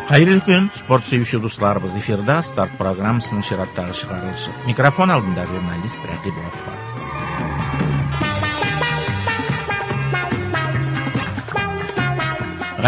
Хәерле көн, спорт сөюче дусларыбыз! Эфирда Старт программасының чираттагы чыгарылышы. Микрофон алдында журналист Рәкыйп Гаффар.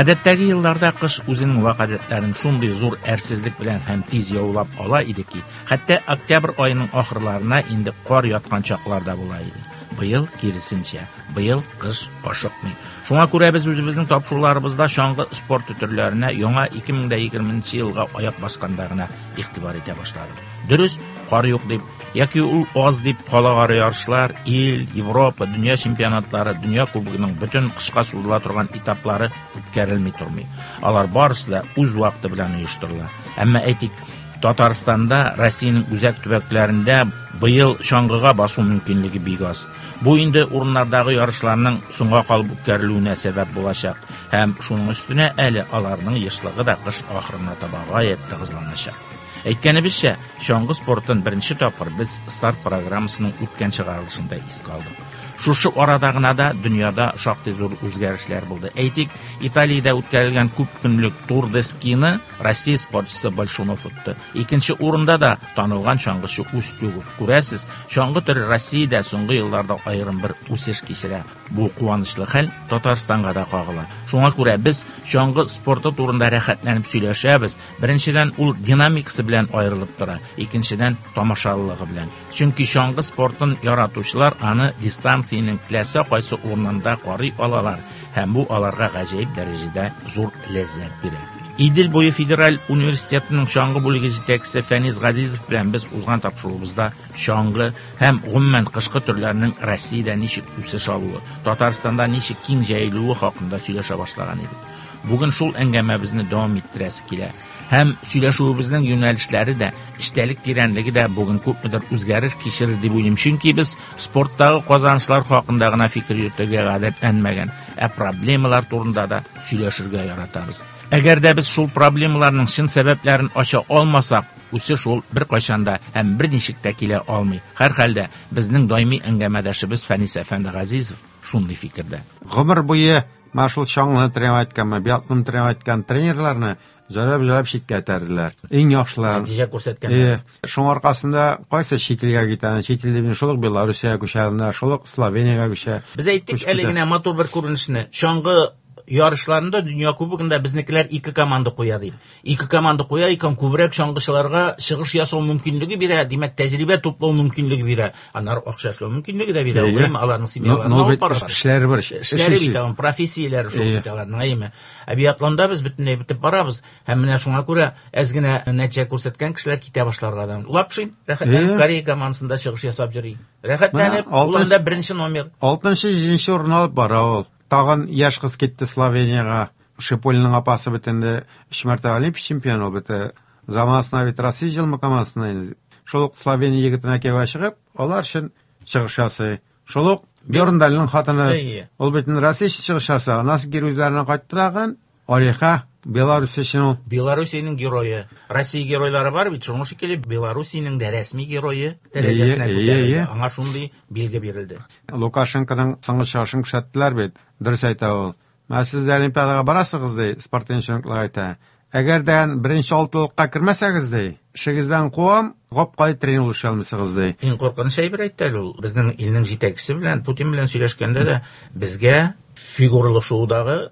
Гадәттәге елларда кыш үзенең вак гадәтләрен шундый зур әрсезлек белән һәм тиз яулап ала иде ки, хәтта октябрь аеның ахырларына инде кар яткан чаклар да була иде. Быел киресенчә, быел кыш ашыкмый. Шуңа күрә без үзебезнең тапшыруларыбызда чаңгы спорты төрләренә яңа 2020 елга аяк басканда гына игътибар итә башладык. Дөрес, кар юк дип, яки ул аз дип халыкара ярышлар, ил, Европа, дөнья чемпионатлары, дөнья кубогының бөтен кышка сузыла торган этаплары үткәрелми тормый. Алар барысы да үз вакыты белән оештырыла. Әмма әйтик, Татарстанда, Россиянең үзәк төбәкләрендә быел чаңгыга басу мөмкинлеге бик аз. Бу инде урыннардагы ярышларның соңга калып үткәрелүенә сәбәп булачак һәм шуның өстенә әле аларның ешлыгы да кыш ахырына таба гаять тыгызланачак. Әйткәнебезчә, чаңгы спортын беренче тапкыр без Старт программасының үткән чыгарылышында искә алдык. Шушы арада гына да дөньяда шактый зур үзгәрешләр булды. Әйтик, Италиядә үткәрелгән күп көнлек Тур де Скины Россия спортчысы Большунов отты. Икенче урында да танылган чаңгычы Устюгов. Күрәсез, чаңгы төре Россиядә соңгы елларда аерым бер үсеш кичерә. Бу куанычлы хәл Татарстанга да кагыла. Шуңа күрә без чаңгы спорты турында рәхәтләнеп сөйләшәбез. Беренчедән, ул динамикасы белән аерылып тора, икенчедән, тамашалылыгы белән. Чөнки чаңгы спортын яратучылар аны дистанциянең теләсә кайсы урынында карый алалар һәм бу аларга гаҗәеп дәрәҗәдә зур ләззәт бирә. Идел буе федераль университетының чаңгы бүлеге җитәкчесе Фәнис Газизов белән без узган тапшыруыбызда чаңгы һәм гомумән кышкы төрләрнең Россиядә ничек үсеш алуы, Татарстанда ничек киң җәелүе хакында сөйләшә башлаган идек. Бүген шул әңгәмәбезне дәвам иттерәсе килә. Һәм сөйләшүебезнең юнәлешләре дә, эчтәлек тирәнлеге дә бүген күпмедер үзгәреш кичерер дип уйлыйм. Чөнки без спорттагы казанышлар хакында гына фикер йөртергә гадәтләнмәгән, ә проблемалар турында да сөйләшергә яратабыз. Әгәр дә без шул проблемаларның чын сәбәпләрен ача алмасак, үсеш ул беркайчан да һәм берничек тә килә алмый. Һәрхәлдә, безнең даими әңгәмәдәшебез Фәнис әфәнде Газизов шундый фикердә. Гомер буе менә шул чаңгыны тренировать иткәнме, биатлонны тренировать иткән тренерларны җайлап-җайлап читкә этәрделәр. Иң яхшыларын. Нәтиҗә күрсәткәннәр. Шуның аркасында кайсы чит илгә китә, чит ил дип шул ук Белоруссиягә күчә, шул ук Словениягә күчә. Без әйттек әле генә матур бер күренешне. Чаңгы ярышларында дөнья кубогында безнекеләр ике команда куя дип. Ике команда куя икән, күбрәк чаңгычыларга чыгыш ясау мөмкинлеге бирә, димәк, тәҗрибә туплау мөмкинлеге бирә. Аннары акча эшләү мөмкинлеге дә бирә. Әйеме, аларның семьяларын алып барырга. Эшләре бар. Эшләре бит, аның профессияләре шул бит аларның, әйеме. Ә биатлонда без бөтенләй бетеп барабыз. Һәм менә шуңа күрә әз генә нәтиҗә күрсәткән кешеләр китә башларга да. Лапшин рәхәтләнеп Корея командасында чыгыш ясап йөри. Рәхәтләнеп, ул анда беренче номер. 6-7 урын алып бара ул. Тагын яшь кыз китте Словениягә. Шиполиның апасы бит инде 3 мәртәбә Олимпия чемпионы ул бит. Заманасына бит Россия җыелма командасына инде. Шул ук Словения егетенә кияүгә чыгып, алар өчен чыгыш ясый. Шул ук Бьорндальның хатыны, ул бит инде Россия өчен чыгыш ясый. Аннан соң кире үзләренә кайтты тагын. Алиха, Беларусь өчен ул. Белоруссиянең герое. Россия геройлары бар бит, шуның шикелле Белоруссиянең дә рәсми герое дәрәҗәсенә күтәрелде. Аңа шундый билге бирелде. Лукашенконың соңгы чыгышын күрсәттеләр бит. Дөрес әйтә ул. Менә сез дә Олимпиадага барасыгыз, ди, спортивный чиновниклар әйтә. Әгәр дә беренче алтылыкка кермәсәгез, ди, эшегездән куам, гап-гади тренер булып эшли алмыйсыгыз, ди. Иң куркыныч әйбер әйтте әле ул. Безнең илнең җитәкчесе белән, Путин белән сөйләшкәндә дә безгә фигуралы шоудагы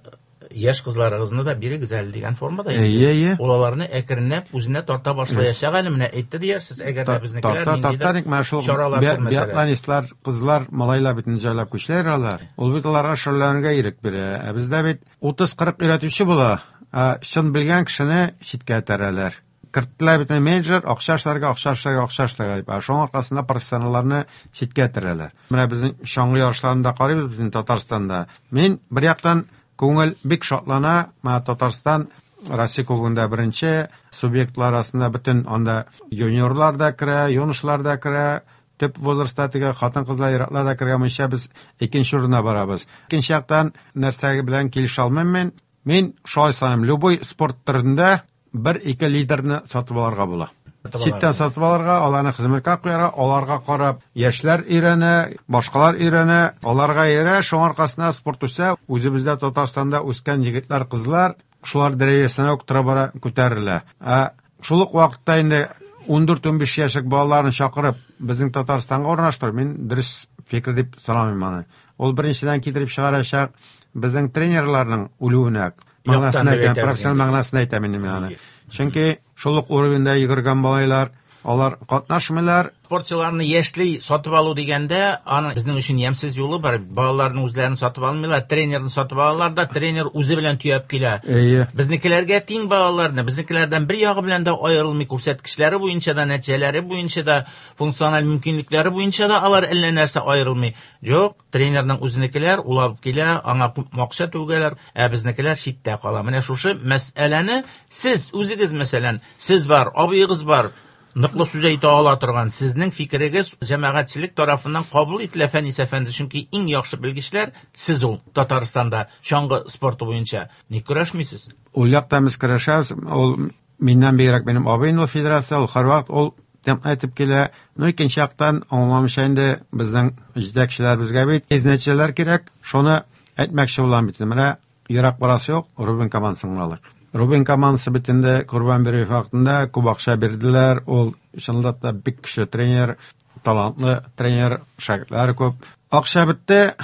яшь кызларыгызны да бирегез әле дигән формада инде. Әйе, әйе. Ул аларны әкренләп үзенә тарта башлаячак әле, менә әйтте диярсез, әгәр дә безнекеләр ниндидер чаралар күрмәсәләр. Биатлонистлар, кызлар, малайлар бит инде җайлап күчәләр алар. Ул бит аларга шөгыльләнергә ирек бирә. Ә бездә бит 30-40 өйрәтүче була, ә чын белгән кешене читкә этәрәләр. Керттеләр бит менеджер, акча эшләргә, акча эшләргә, акча эшләргә дип. Ә шуның аркасында профессионалларны читкә этәрәләр. Менә безнең чаңгы ярышларында карыйбыз безнең Татарстанда. Мин бер яктан күңел бик шатлана, менә Татарстан Россия кубогында беренче, субъектлар арасында бөтен анда юниорлар да керә, юношлар да керә, төп возрастта теге хатын-кызлар, ир-атлар да кергән буенча без икенче урында барабыз. Икенче яктан нәрсә белән килешә алмыйм мин. Мин шулай саныйм, любой спорт төрендә бер-ике лидерны сатып алырга була. Читтән сатып алырга, аларны хезмәткә куярга, аларга карап яшьләр өйрәнә, башкалар өйрәнә, аларга иярә, шуның аркасында спорт үсә. Үзебездә Татарстанда үскән егетләр, кызлар шулар дәрәҗәсенә үк тора бара күтәрелә. Ә шул ук вакытта инде 14-15 яшьлек балаларны чакырып безнең Татарстанга урнаштыру мин дөрес фикер дип санамыйм аны. Ул беренчедән китереп чыгарачак безнең тренерларның үлүенә. Мәгънәсен әйтәм, профессиональ мәгънәсен әйтәм инде мин аны. Чөнки шул ук уровеньда йөгергән малайлар, алар катнашмыйлар. Спортчыларны яшьли сатып алу дигәндә, аның безнең өчен ямьсез юлы бар. Балаларның үзләрен сатып алмыйлар, тренерны сатып алалар да, тренер үзе белән төяп килә. Әйе. Безнекеләргә тиң балаларны, безнекеләрдән бер ягы белән дә аерылмый, күрсәткечләре буенча да, нәтиҗәләре буенча да, функциональ мөмкинлекләре буенча да алар әллә нәрсә аерылмый. Юк, тренерның үзенекеләр ул алып килә, аңа күп акча түгәләр, ә безнекеләр читтә кала. Менә шушы мәсьәләне сез үзегез, мәсәлән, сез бар, абыегыз бар, ныклы сүз әйтә ала торган сезнең фикерегез җәмәгатьчелек тарафыннан кабул ителә, Фәнис әфәнде, чөнки иң яхшы белгечләр сез ул Татарстанда чаңгы спорты буенча. Ник көрәшмисез? Ул якта без көрәшәбез. Ул миннән бигрәк минем абыем ул федерация, ул һәрвакыт ул тем әйтеп килә. Ну, икенче яктан аңламыйча инде безнең җитәкчеләр безгә бит тиз нәтиҗәләр кирәк. Шуны әйтмәкче булам бит. Менә ерак барасы юк, Рубин командасын гына алыйк. Рубин командасы бит инде Корбан Бериев вакытында күп акча бирделәр. Ул чынлап та бик көчле тренер, талантлы тренер, шәкертләре күп. Акча бетте,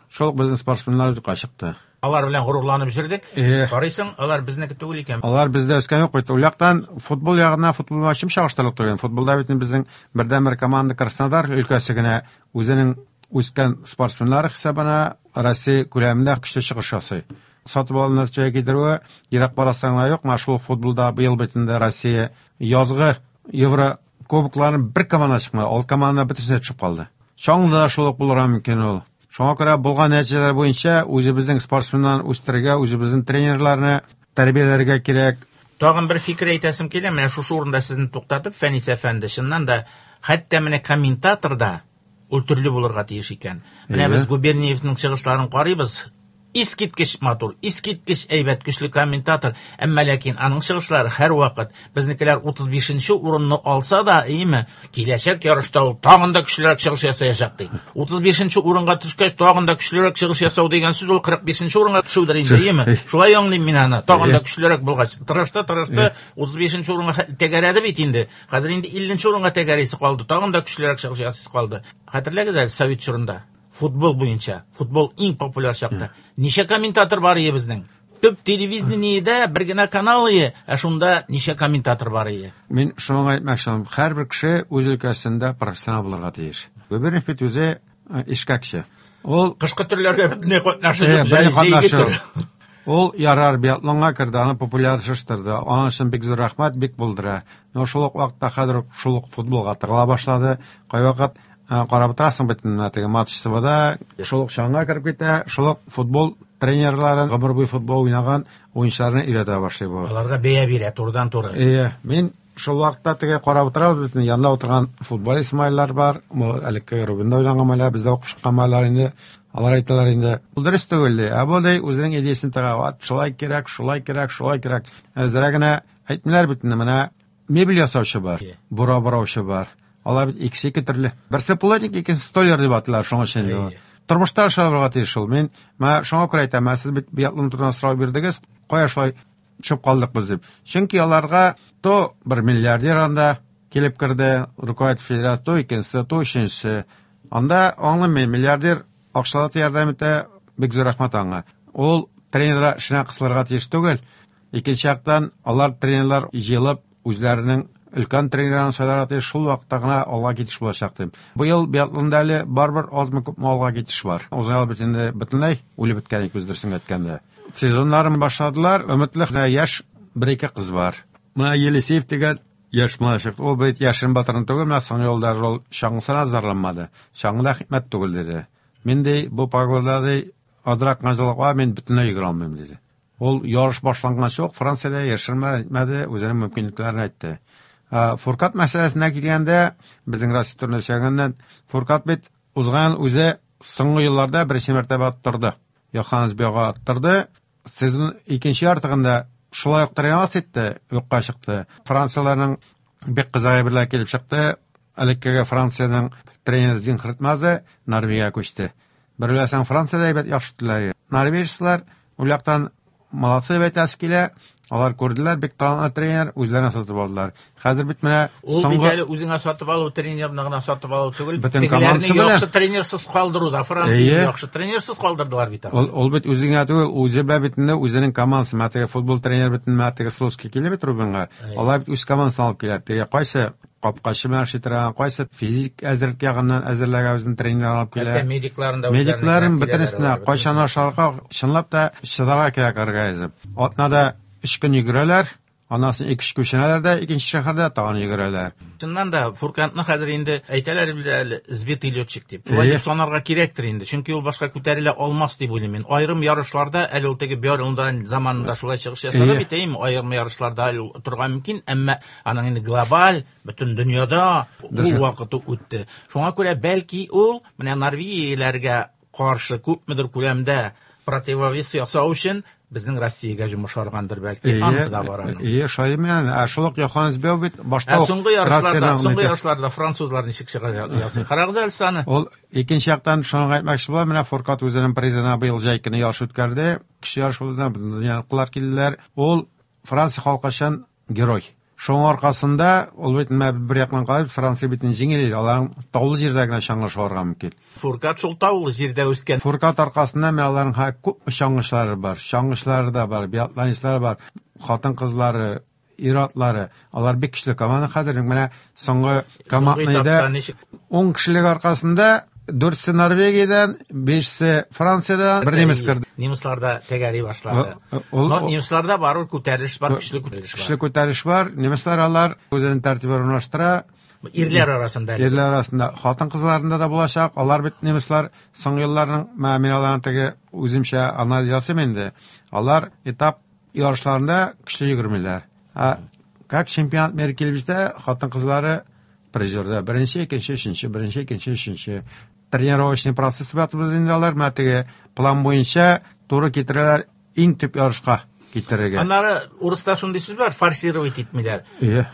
шул ук безнең спортсменнар юкка чыкты. Алар белән горурланып йөрдек. Карыйсың, алар безнеке түгел икән. Алар бездә үскән юк бит. Ул яктан футбол ягына футбол белән чагыштырырлык түгел. Футболда бит безнең бердәнбер команда Краснодар өлкәсе генә үзенең үскән спортсменнар хисабына Россия күләмендә көчле чыгыш ясый. Сатып алу нәтиҗәгә китерүе ерак барасың гына юк. Менә шул футболда быел бит инде Россия язгы Евро кубокларын бер команда чыкмады. Алты команда бөтенесе төшеп калды. Чаңгыда да шул ук булырга мөмкин ул. Шуңа күрә булган нәтиҗәләр буенча үзебезнең спортсменнарны үстерергә, үзебезнең тренерларны тәрбияләргә кирәк. Тагын бер фикер әйтәсем килә, менә шушы урында сезне туктатып, Фәнис әфәнде, чыннан да, хәтта менә комментатор да ул төрле булырга тиеш икән. Менә без Губерниевның чыгышларын карыйбыз. Искиткеч матур, искиткеч әйбәт, көчле комментатор. Әмма ләкин аның чыгышлары һәрвакыт безнекеләр 35-нче урынны алса да, әйеме, киләчәк ярышта ул тагын да көчлерәк чыгыш ясаячак ди. 35-нче урынга төшкәч, тагын да көчлерәк чыгыш ясау дигән сүз ул 45-нче урынга төшүдер инде, әйеме? Шулай аңлыйм мин аны. Тагын да көчлерәк булгач, тырышты, тырышты, 35-нче урынга тәгәрәде бит инде. Хәзер инде 50-нче урынга тәгәрәсе калды, тагын да көчлерәк чыгыш ясыйсы калды. Хәтерләгез әле совет чорында футбол буенча, футбол иң популяр чакта. Ничә комментатор бар иде безнең? Төп телевидениедә бер генә канал иде, ә шунда ничә комментатор бар иде? Мин шуны әйтмәкче булам, һәрбер кеше үз өлкәсендә профессионал булырга тиеш. Губерниев бит үзе ишкәкче. Ул кышкы төрләргә бөтенләй катнашы юк, җәйге төр. Ул ярар биатлонга керде, аны популярлаштырды. Аның өчен бик зур рәхмәт, бик булдыра. Но шул ук вакытта хәзер шул ук футболга тыгыла башлады. Кайвакыт карап утырасың бит менә теге матч ТВда, шул ук чаңга кереп китә, шул ук футбол тренерларын, гомер буе футбол уйнаган уенчыларны өйрәтә башлый бу. Аларга бәя бирә турыдан-туры. Әйе, мин шул вакытта теге карап утырабыз бит, янында утырган футболист малайлар бар, бу элекке Рубинда уйнаган малайлар, бездә укып чыккан малайлар инде. Алар әйтәләр инде, ул дөрес түгел, ди. Ә бу ди үзенең идеясен тыга, вот шулай кирәк, шулай кирәк, шулай кирәк. Әзрәк генә әйтмиләр бит инде, менә мебель ясаучы бар, бура бураучы бар. Алар бит икесе ике төрле. Берсе плотник, икенчесе столяр дип аталар, шуңа өчен инде. Тормышта шулай булырга тиеш ул. Мин менә шуңа күрә әйтәм, ә сез бит биатлон турында сорау бирдегез, кая шулай төшеп калдык без дип. Чөнки аларга то бер миллиардер анда килеп керде, руководитель федерация, то икенчесе, то өченчесе. Анда аңлыйм мин, миллиардер акчалата ярдәм итә, бик зур рәхмәт аңа. Ул тренерлар эшенә кысылырга тиеш түгел. Икенче яктан, алар тренерлар җыелып, үзләренең өлкән тренерларын сайларга тиеш, шул вакытта гына алга китеш булачак дим. Быел биатлонда әле барыбер азмы күпме алга китеш бар. Узган ел бит инде бөтенләй үлеп беткән икән, дөресен әйткәндә. Сезоннарын башладылар, өметле яшь бер-ике кыз бар. Менә Елисеев дигән яшь малай, ул бит яшен батырын түгел, менә соңгы елда ул чаңгысына зарланмады. Чаңгыда хикмәт түгел диде. Мин ди, бу погодада ди, азрак мазалыкка мин бөтенләй йөгерә алмыйм диде. Ул ярыш башланганчы ук Франциядә яшермәде, үзенең мөмкинлекләрен әйтте. Фуркат мәсьәләсенә килгәндә, безнең Россия турында сөйләгәннән, Фуркат бит узган үзе соңгы елларда беренче мәртәбә аттырды. Йоханнес Бёга аттырды. Сезон икенче яртыгында шулай ук тренироваться итте, юкка чыкты. Францияләрнең бик кызык әйберләр килеп чыкты. Элеккеге Франциянең тренеры Зинхард Мазе Норвегиягә күчте. Бер беләсәң, Франциядә әйбәт яхшы иттеләр. Норвежецлар ул яктан молодцы дип әйтәсе килә. Алар күрделәр, бик талантлы тренер, үзләренә сатып алдылар. Хәзер бит менә Ул бит соңгы әле үзеңә сатып алу тренерны гына сатып алу түгел, Бөтен тегеләрне командасы белән. яхшы тренерсыз калдыру да. Францияне Әйе. яхшы тренерсыз калдырдылар бит Ул, алар. ул бит үзеңә түгел, үзе белән бит инде үзенең командасы. Менә теге футбол тренер бит менә теге Слуцкий килә бит Рубинга. Әйе. Алар бит үз командасын алып килә. Теге кайсы капкачы белән эшли торган, кайсы физик әзерлек ягыннан әзерләгән үзенең тренер алып килә. Хәтта медикларын да Медикларын үзләренә бөтенесенә киләләр алар, кайчан ашарга, чынлап та чыдарга кирәк организм. Атнада 3 көн йөгерәләр, аннан соң 2 күченәләр дә икенче шәһәрдә тагын йөгерәләр. Чыннан да Фуркантны хәзер инде әйтәләр бит әле сбитый летчик дип. Шулай Әйе. дип санарга кирәктер инде. Чөнки ул башка күтәрелә алмас дип уйлыйм мин. Аерым ярышларда әле ул теге Бьорндан заманында шулай чыгыш ясады Әйе. бит, әйеме? Аерым ярышларда әле ул торырга мөмкин, әмма аның инде глобаль бөтен дөньяда ул Дөрес. вакыты үтте. Шуңа күрә бәлки ул менә Норвегияләргә каршы күпмедер күләмдә противовес ясау өчен безнең Россиягә йомышаргандыр бәлки. Анысы да бар аның. Әйе, шулай менә. Ә шул ук Йоханнес Бео бит башта Ә ук соңгы ярышларда, Россиядән соңгы әйтә. ярышларда французлар ничек чыгыш ясый? Карагыз әле сез аны. Ул икенче яктан шуны әйтмәкче була, менә Фуркат үзенең призына быел җәй көне ярыш үткәрде. Кеше ярыш булды, бөтен дөньяныкылар килделәр. Ул Франция халкы өчен герой. Шуның аркасында ул бит менә бер яктан карап Франция бит җиңел ил, алар таулы җирдә генә чаңгы шуарга мөмкин. Фуркат шул таулы җирдә үскән. Фуркат аркасында менә аларның күп чаңгычылары бар, чаңгычылары да бар, биатлонистлар бар, хатын-кызлары, ир-атлары. Алар бик көчле команда хәзер менә соңгы Соңгы командныйда этапта ничек 10 кешелек аркасында 4-се Норвегиядән, 5-се Франциядән, бер немец керде. Немецлар да тәгәри башлады. Ул- Но немецларда барыбер күтәрелеш бар, көчле күтәрелеш Көчле бар. күтәрелеш бар. Немецлар алар үзенең тәртибен урнаштыра. Ирләр арасында. әле. Ирләр арасында хатын-кызларында да булачак. Алар бит немецлар соңгы елларның менә мин аларның теге үземчә анализ ясыйм инде. Алар этап ярышларында көчле йөгермиләр. Ә как чемпионат мира килеп җитә, хатын-кызлары призерда. Беренче, икенче, өченче, беренче, икенче, өченче. Тренировочный процесс батыбыз инде алар менә теге план буенча туры китерәләр иң төп ярышка китерергә. Аннары урыста шундый сүз бар, форсировать итмиләр. Ие.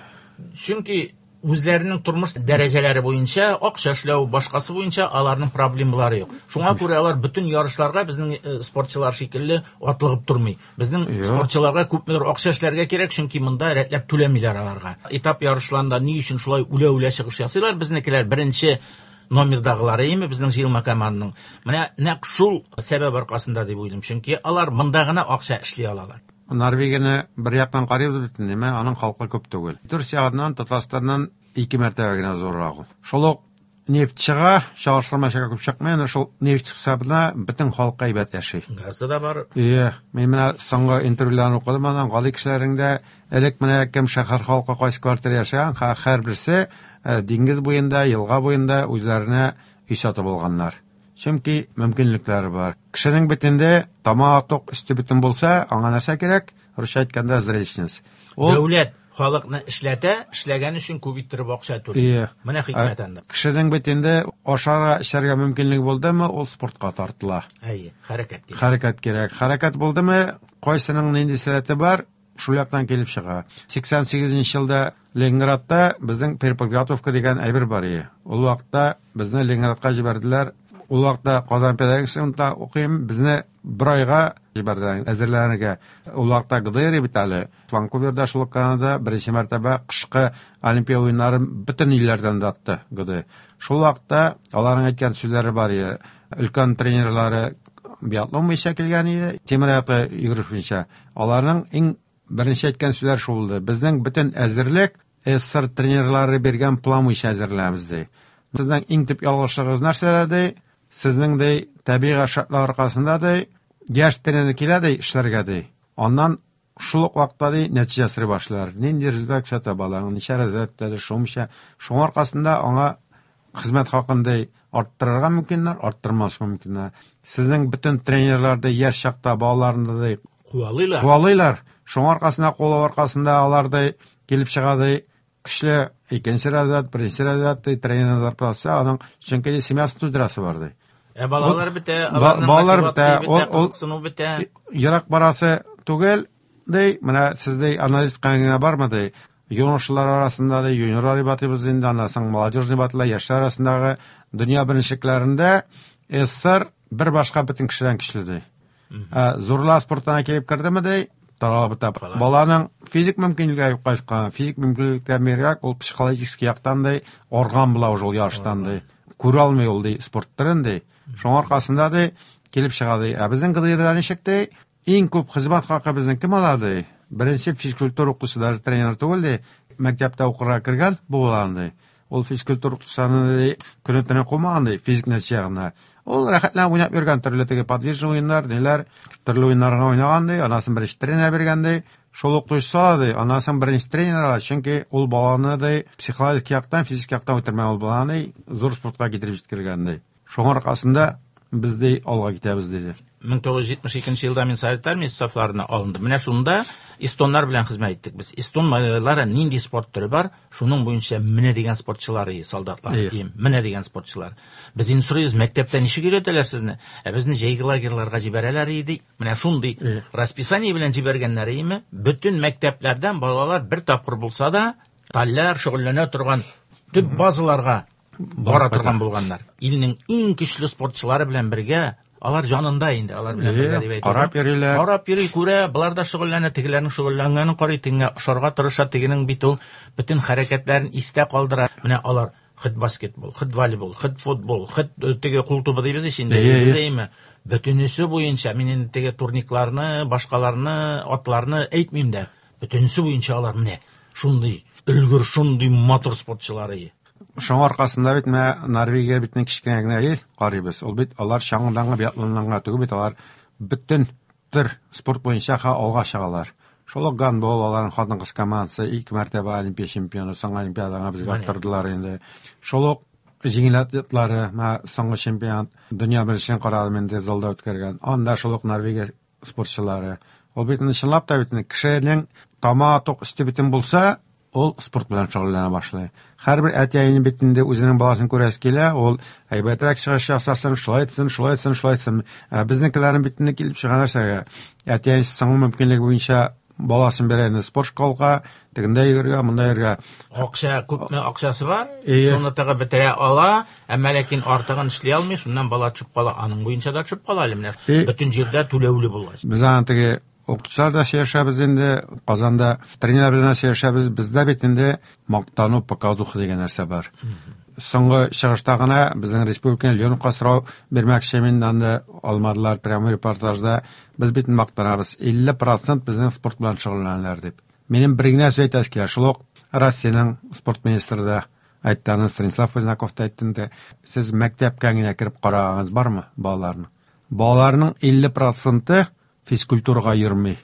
Чөнки үзләренең тормыш дәрәҗәләре буенча, акча эшләү, башкасы буенча аларның проблемалары юк. Шуңа күрә алар бөтен ярышларга безнең спортчылар шикелле атлыгып тормый. Безнең Юк. спортчыларга күпмедер акча эшләргә кирәк, чөнки монда рәтләп түләмиләр аларга. Этап ярышларында ни өчен шулай үлә-үлә чыгыш ясыйлар? Безнекеләр беренче номердагылары име безнең җыелма команданың. Менә нәкъ шул сәбәп аркасында дип уйлыйм, чөнки алар монда гына акча эшли алалар. Норвегияне бер яктан карыйбыз бит, ниме, аның халкы күп түгел. Төркия ягыннан Татарстаннан ике мәртәбә генә зуррак ул. Шул ук нефть чыга, чагыштырмача күп чыкмый, әнә шул нефть хисабына бөтен халык әйбәт яши. Газы да бар. Ие, мин менә соңгы интервьюларны укыдым, аннан гади кешеләрнең дә элек менә кем шәһәр халкы кайсы квартира яшәгән, һәрберсе диңгез буенда, елга буенда үзләренә өй сатып алганнар. Чөнки мөмкинлекләре бар. Кешенең бит инде тамагы тук, өсте бөтен булса, аңа нәрсә кирәк? Русча әйткәндә зрелищность. Ул Дәүләт халыкны эшләтә, эшләгән өчен күп иттереп акча түли. Ие. Менә хикмәт анда. Кешенең бит инде ашарга, эчәргә мөмкинлеге булдымы, ул спортка тартыла. Әйе, хәрәкәт кирәк. Хәрәкәт кирәк. Хәрәкәт булдымы, кайсының нинди сәләте бар, шул яктан килеп чыга. 88 елда Ленинградта безнең переподготовка дигән әйбер бар иде. Ул вакытта безне Ленинградка җибәрделәр. Ул вакытта Казан педагогик институтында укыйм, безне бер айга җибәрделәр әзерләнергә. Ул вакытта ГДР бит әле. Ванкуверда шул ук Канадада беренче мәртәбә кышкы Олимпия уеннарын бөтен илләрдән дә атты ГДР. Шул вакытта аларның әйткән сүзләре бар иде. Өлкән тренерлары биатлон буенча килгән иде, тимер аяклы йөгереш буенча. Аларның иң беренче әйткән сүзләре шул булды. Безнең бөтен әзерлек СССР тренерлары биргән план буенча әзерләнәбез ди. Сезнең иң төп ялгышлыгыгыз нәрсәдә ди? Сезнең ди табигый шартлар аркасында ди яшь тренер килә ди эшләргә ди. Аннан шул ук вакытта ди нәтиҗә сорый башлыйлар. Нинди результат күрсәтә балаң, ничә результат күрсәтә, шунча. Шуның аркасында аңа хезмәт хакын ди арттырырга мөмкиннәр, арттырмаска мөмкиннәр. Сезнең бөтен тренерлар ди яшь чакта балаларны ди Куалыйлар. куалыйлар. Шуның аркасында, куалау аркасында алар ди килеп чыга ди көчле икенче разряд, беренче разряд ди тренер зарплатасы, аның чөнки ди семьясын туйдырасы бар ди. Ә балалар бетә, Ба- аларның балалар мотивациясе бетә, ул- ул- кызыксыну бетә. Ерак барасы түгел ди, менә сез ди анализ кылган бармы ди. Юношалар арасында ди, юниорлар дип атыйбыз инде, аннан соң молодежный дип атыла, яшьләр арасындагы дөнья беренчелекләрендә СССР бер башка бөтен кешедән көчле ди. Ә зурлар спортына килеп кердеме ди, таралып бетә. Баланың физик мөмкинлекләре юкка чыккан, физик мөмкинлектән бигрәк ул психологический яктан ди, арган була уже ул ярыштан ди. Күрә алмый ул ди спорт төрен ди. Шуңа аркасында ди килеп чыга ди. Ә безнең ГДРда ничек ди? Иң күп хезмәт хакы безнең кем ала ди? Беренче физкультура укытучысы даже тренер түгел ди, мәктәптә укырга кергән була ди. Ул физкультура укытучысының ди көне-төне кумаган ди физик нәтиҗә генә. Ул рәхәтләнеп уйнап йөргән төрле теге подвижный уеннар, ниләр, төрле уеннарга уйнаган ди, анасын беренче тренер биргән ди. Шул укытучысы ала ди, аннан соң беренче тренер ала, чөнки ул баланы ди психологик яктан, физик яктан үтермәгән ул баланы ди, зур спортка китереп җиткергән ди. Шуңа аркасында без ди алга китәбез диде. 1972 елда мин Совет армиясе сафларына алындым. Менә шунда эстоннар белән хезмәт иттек без. Эстон малайлары нинди спорт төре бар, шуның буенча менә дигән спортчылар, солдатлар, менә дигән спортчылар. Без инде сорыйбыз, мәктәптә ничек өйрәтәләр сезне? Ә безне җәйге лагерьларга җибәрәләр иде. Менә шундый расписание белән җибәргәннәр име? Бөтен мәктәпләрдән балалар бер тапкыр булса да таллар шөгыльләнә торган төп базаларга бара торган булганнар. Илнең иң көчле спортчылары белән бергә алар җанында инде, алар белән бергә дип әйтә. Карап йөриләр. Карап йөри, күрә, болар да шөгыльләнә, тегеләрнең шөгыльләнгәнен карый, тегеңә ошарга тырыша, тегенең бит ул бөтен хәрәкәтләрен истә калдыра. Менә алар хит баскетбол, хит волейбол, хит футбол, хит теге кул тубы дибез ич инде, әйме. Бөтенесе буенча мин инде теге турникларны, башкаларны, атларны әйтмим дә. Бөтенесе буенча алар менә шундый өлгер, шундый матур спортчылар. Шуңа аркасында бит менә Норвегия бит кечкенә генә ил карыйбыз. Ул бит алар чаңгыдан гына, биатлоннан гына түгел бит, алар бөтен төр спорт буенча алга чыгалар. Шул ук гандбол, аларның хатын-кыз командасы ике мәртәбә олимпия чемпионы, соңгы олимпиадага безгә аттырдылар инде. Шул ук җиңел атлетлары, менә соңгы чемпионат, дөнья беренчелеген карадым инде залда үткәргән. Анда шул ук Норвегия спортчылары. Ул бит инде чынлап та бит инде кешенең тамагы тук, өсте бөтен булса, ул спорт белән шөгыльләнә башлый. Һәрбер әти-әнинең бит инде үзенең баласын күрәсе килә, ул әйбәтрәк чыгыш ясасын, шулай итсен, шулай итсен, шулай итсен. Ә безнекеләрнең бит инде килеп чыга нәрсәгә? Әти-әнисе соңгы мөмкинлеге буенча баласын бирә инде спорт школга, тегендә йөрергә, монда йөрергә. Акча, күпме акчасы бар, шуны тыгып бетерә ала, әмма ләкин артыгын эшли алмый, шуннан бала төшеп кала, аның буенча да төшеп кала әле менә. Бөтен җирдә түләүле булгач. Без аны теге укытучылар да сөйләшәбез инде, Казанда тренерлар белән дә сөйләшәбез. Бездә бит инде мактану, показуха дигән нәрсә бар. Соңгы чыгышта гына безнең республиканы Леоновка сорау бирмәкче мин, анда алмадылар прямой репортажда. Без бит мактанабыз, 50% безнең спорт белән шөгыльләнәләр дип. Минем бер генә сүз әйтәсе килә, шул ук Россиянең спорт министры да әйтте, аны Станислав Поздняков та әйтте инде. Сез мәктәпкә генә кереп карагыз бармы балаларны? Балаларның 50% физкультурага йөрми.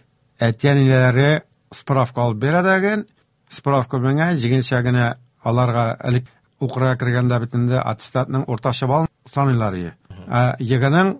Әти-әниләре справка алып бирә дә, справка белән җиңелчә генә аларга элек укырга кергәндә бит инде аттестатның уртача балын саныйлар иде. Ә ЕГЭның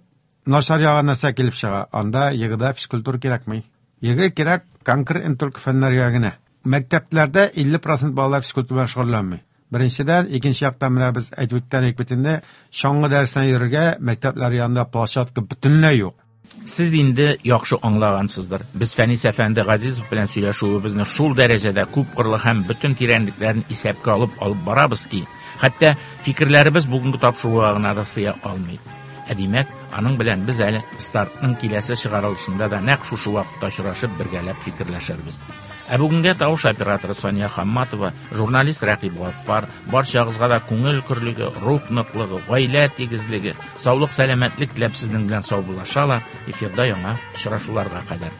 начар ягы нәрсә килеп чыга? Анда ЕГЭда физкультура кирәкми. ЕГЭ кирәк конкрет только фәннәргә генә. Мәктәпләрдә 50% балалар физкультура белән шөгыльләнми. Беренчедән, икенче яктан менә без әйтеп үткән идек бит инде, чаңгы дәресенә йөрергә мәктәпләр янында площадка бөтенләй юк. Сез инде яхшы аңлагансыздыр. Без Фәнис әфәнде Газизов белән сөйләшүебезне шул дәрәҗәдә күп кырлы һәм бөтен тирәнлекләрен исәпкә алып алып барабыз ки, хәтта фикерләребез бүгенге тапшыруга гына да сыя алмый. Ә димәк, аның белән без әле стартның киләсе чыгарылышында да нәкъ шушы вакытта очрашып бергәләп фикерләшербез. Ә бүгенгә тавыш операторы Сания Хамматова, журналист Рәкыйп Гаффар, барчагызга да күңел көрлеге, рух ныклыгы, гаилә тигезлеге, саулык, сәламәтлек теләп сезнең белән саубуллашалар. Эфирда яңа очрашуларга кадәр.